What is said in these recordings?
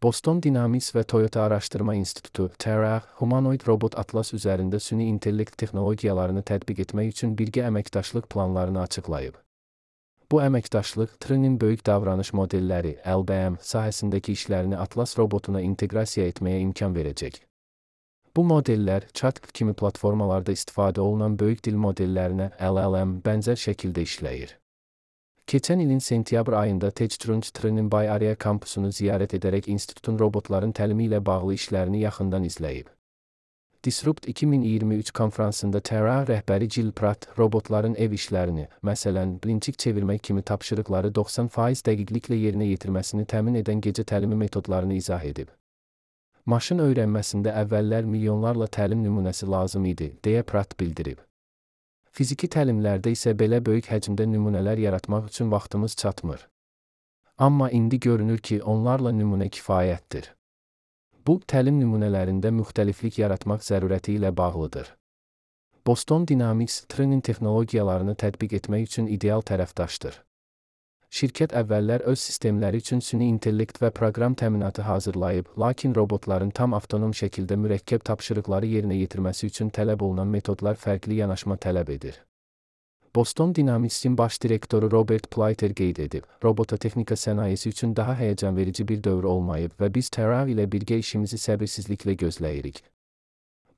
Boston Dynamics və Toyota Araşdırma İnstitutu (TRA) humanoid robot Atlas üzərində süni intellekt texnologiyalarını tətbiq etmək üçün birgə əməkdaşlıq planlarını açıqlayıb. Bu əməkdaşlıq Trinin böyük davranış modelləri (LBM) sahəsindəki işlərini Atlas robotuna inteqrasiya etməyə imkan verəcək. Bu modellər ChatGPT kimi platformalarda istifadə olunan böyük dil modellərinə (LLM) bənzər şəkildə işləyir. Keçən ilin sentyabr ayında TechCrunch Trinin Bay Area kampusunu ziyarət edərək institutun robotların təlimi ilə bağlı işlərini yaxından izləyib. Disrupt 2023 konfransında TRA rəhbəri Jill Pratt robotların ev işlərini, məsələn, blinçik çevirmək kimi tapşırıqları 90% dəqiqliklə yerinə yetirməsini təmin edən gecə təlimi metodlarını izah edib. Maşın öyrənməsində əvvəllər milyonlarla təlim nümunəsi lazım idi, deyə Pratt bildirib. Fiziki təlimlərdə isə belə böyük həcmdə nümunələr yaratmaq üçün vaxtımız çatmır. Amma indi görünür ki, onlarla nümunə kifayətdir. Bu, təlim nümunələrində müxtəliflik yaratmaq zərurəti ilə bağlıdır. Boston Dynamics Trinin texnologiyalarını tətbiq etmək üçün ideal tərəfdaşdır. Şirkət əvvəllər öz sistemləri üçün süni intellekt və proqram təminatı hazırlayıb, lakin robotların tam avtonom şəkildə mürəkkəb tapşırıqları yerinə yetirməsi üçün tələb olunan metodlar fərqli yanaşma tələb edir. Boston Dynamics'in baş direktoru Robert Pleiter qeyd edib, robototexnika sənayesi üçün daha həyəcanverici bir dövr olmayıb və biz TRA ilə birgə işimizi səbirsizliklə gözləyirik.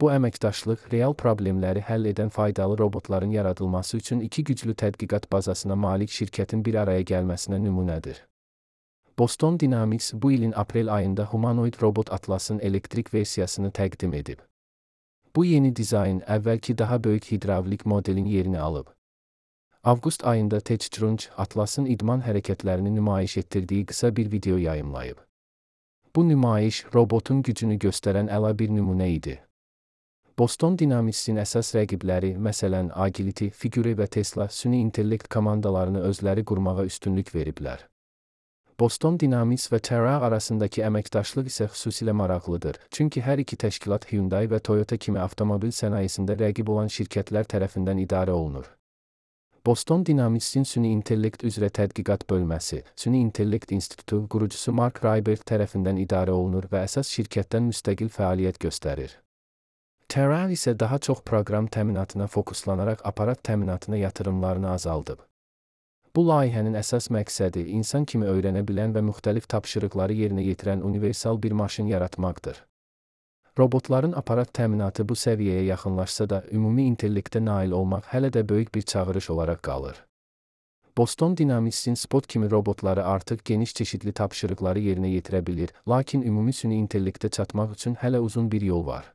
Bu əməkdaşlıq real problemləri həll edən faydalı robotların yaradılması üçün iki güclü tədqiqat bazasına malik şirkətin bir araya gəlməsinə nümunədir. Boston Dynamics bu ilin aprel ayında humanoid robot Atlas'ın elektrik versiyasını təqdim edib. Bu yeni dizayn əvvəlki daha böyük hidravlik modelin yerini alıb. Avqust ayında TechCrunch Atlas'ın idman hərəkətlərini nümayiş etdirdiyi qısa bir video yayımlayıb. Bu nümayiş robotun gücünü göstərən əla bir nümunə idi. Boston Dynamics'in əsas rəqibləri, məsələn, Agility, Figure və Tesla süni intellekt komandalarını özləri qurmağa üstünlük veriblər. Boston Dynamics və TRA arasındakı əməkdaşlıq isə xüsusilə maraqlıdır, çünki hər iki təşkilat Hyundai və Toyota kimi avtomobil sənayesində rəqib olan şirkətlər tərəfindən idarə olunur. Boston Dynamics'in süni intellekt üzrə tədqiqat bölməsi, Süni İntellekt İnstitutu qurucusu Mark Raibert tərəfindən idarə olunur və əsas şirkətdən müstəqil fəaliyyət göstərir. TRA isə daha çox proqram təminatına fokuslanaraq aparat təminatına yatırımlarını azaldıb. Bu layihənin əsas məqsədi insan kimi öyrənə bilən və müxtəlif tapşırıqları yerinə yetirən universal bir maşın yaratmaqdır. Robotların aparat təminatı bu səviyyəyə yaxınlaşsa da, ümumi intellektə nail olmaq hələ də böyük bir çağırış olaraq qalır. Boston Dynamics'in Spot kimi robotları artıq geniş çeşidli tapşırıqları yerinə yetirə bilir, lakin ümumi süni intellektə çatmaq üçün hələ uzun bir yol var.